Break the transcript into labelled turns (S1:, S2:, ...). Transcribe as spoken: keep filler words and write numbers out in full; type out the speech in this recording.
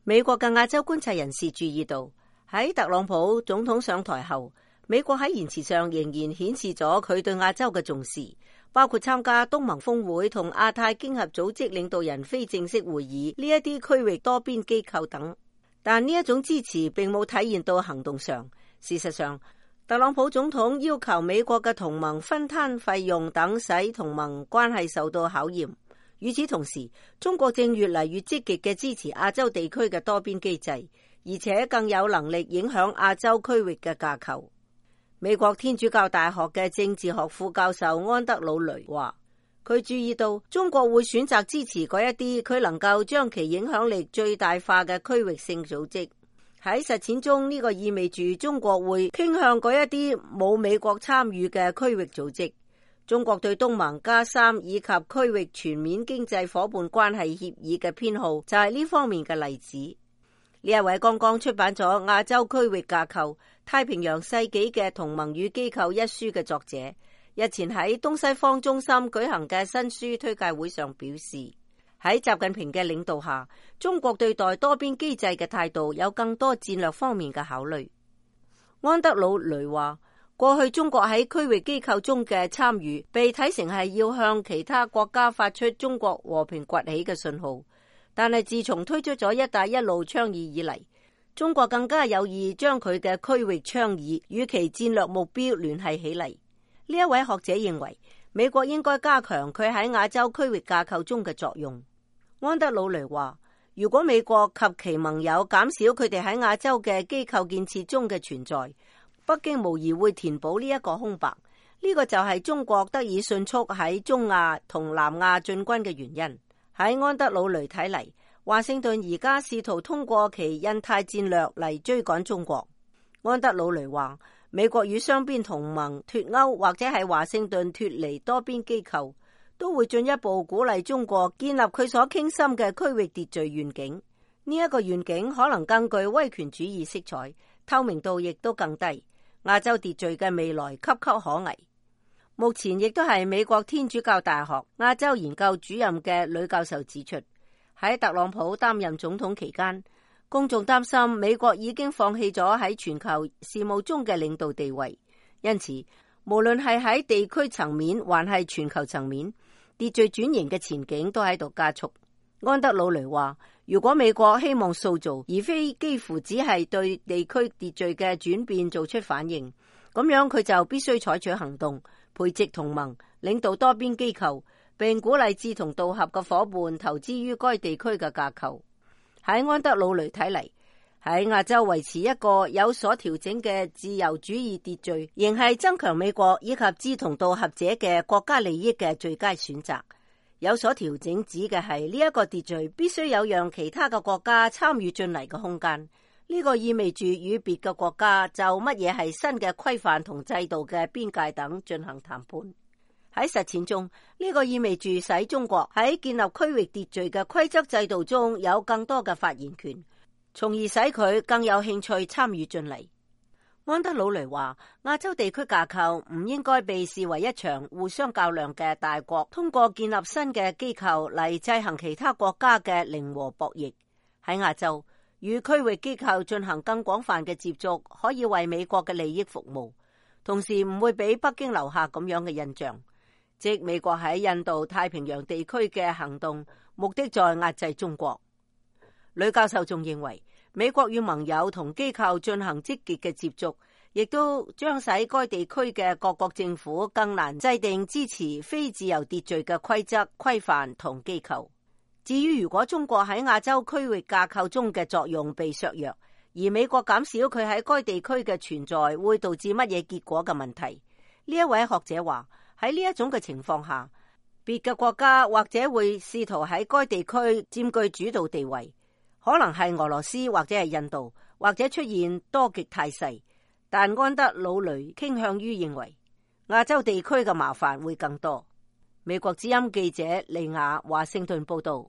S1: 美國嘅亞洲觀察人士注意到，喺特朗普總統上台後，美國喺言辭上仍然顯示咗佢對亞洲嘅重視，包括參加東盟峰會同亞太經合組織領導人非正式會議呢一啲區域多邊機構等。但呢一種支持並冇體現到行動上。事實上，特朗普總統要求美國嘅同盟分攤費用等，使同盟關係受到考驗。與此同時，中國正越嚟越積極嘅支持亞洲地區嘅多邊機制，而且更有能力影響亞洲區域嘅架構。美國天主教大學嘅政治學副教授安德魯雷話，佢注意到中國會選擇支持嗰一啲佢能夠將其影響力最大化嘅區域性組織。喺實踐中，呢個意味住中國會傾向嗰一啲冇美國參與嘅區域組織。中國對東盟加三以及區域全面經濟夥伴關係協議嘅偏好就係呢方面嘅例子。呢一位剛剛出版咗《亞洲區域架構：太平洋世紀嘅同盟與機構》一書嘅作者，日前喺東西方中心舉行嘅新書推介會上表示，喺習近平嘅領導下，中國對待多邊機制嘅態度有更多戰略方面嘅考慮。安德魯雷話，過去中國喺區域機構中嘅參與被睇成係要向其他國家發出中國和平崛起嘅信號，但係自從推出咗一帶一路倡議以嚟，中國更加有意將佢嘅區域倡議與其戰略目標聯繫起嚟。呢一位學者認為，美國應該加強佢喺亞洲區域架構中嘅作用。安德魯雷話，如果美國及其盟友減少佢哋喺亞洲嘅機構建設中嘅存在，北京無疑會填補呢一個空白。呢個就係中國得以迅速喺中亞同南亞進軍嘅原因。喺安德魯雷睇嚟，華盛頓而家試圖通過其印太戰略嚟追趕中國。安德魯雷話，美國與雙邊同盟脫歐或者係華盛頓脫離多邊機構，都會進一步鼓勵中國建立佢所傾心嘅區域秩序願景。呢一個願景可能更具威權主義色彩，透明度亦都更低。亞洲秩序嘅未來岌岌可危。目前亦都係美國天主教大學亞洲研究主任嘅呂教授指出，喺特朗普擔任總統期間，公眾擔心美國已經放棄咗喺全球事務中嘅領導地位，因此無論係喺地區層面還係全球層面，秩序轉型嘅前景都喺度加速。安德魯雷話，如果美國希望塑造而非幾乎只係對地區秩序嘅轉變做出反應，咁樣佢就必須採取行動，培植同盟，領導多邊機構，並鼓勵志同道合嘅夥伴投資於該地區嘅架構。喺安德魯雷睇嚟，喺亞洲維持一個有所調整嘅自由主義秩序，仍係增強美國以及志同道合者嘅國家利益嘅最佳選擇。有所調整指嘅係呢一個秩序必須有讓其他嘅國家參與進嚟嘅空間。呢個意味住與別嘅國家就乜嘢係新嘅規範同制度嘅邊界等進行談判。喺實踐中，呢個意味住使中國喺建立區域秩序嘅規則制度中有更多嘅發言權，從而使佢更有興趣參與進嚟。安德魯雷話，亞洲地區架構唔應該被視為一場互相較量嘅大國通過建立新嘅機構嚟制衡其他國家嘅零和博弈。喺亞洲，與區域機構進行更廣泛嘅接觸，可以為美國嘅利益服務，同時唔會俾北京留下咁樣嘅印象，即美國喺印度太平洋地區嘅行動目的在壓制中國。呂教授仲認為，美國與盟友同機構進行積極嘅接觸，亦都將使該地區嘅各國政府更難制定支持非自由秩序嘅規則、規範同機構。至於如果中國喺亞洲區域架構中嘅作用被削弱，而美國減少佢喺該地區嘅存在，會導致乜嘢結果嘅問題？呢一位學者話，喺呢一種嘅情況下，別嘅國家或者會試圖喺該地區佔據主導地位。可能係俄羅斯或者係印度，或者出現多極態勢，但安德魯雷傾向於認為亞洲地區嘅麻煩會更多。美國之音記者利亞華盛頓報道。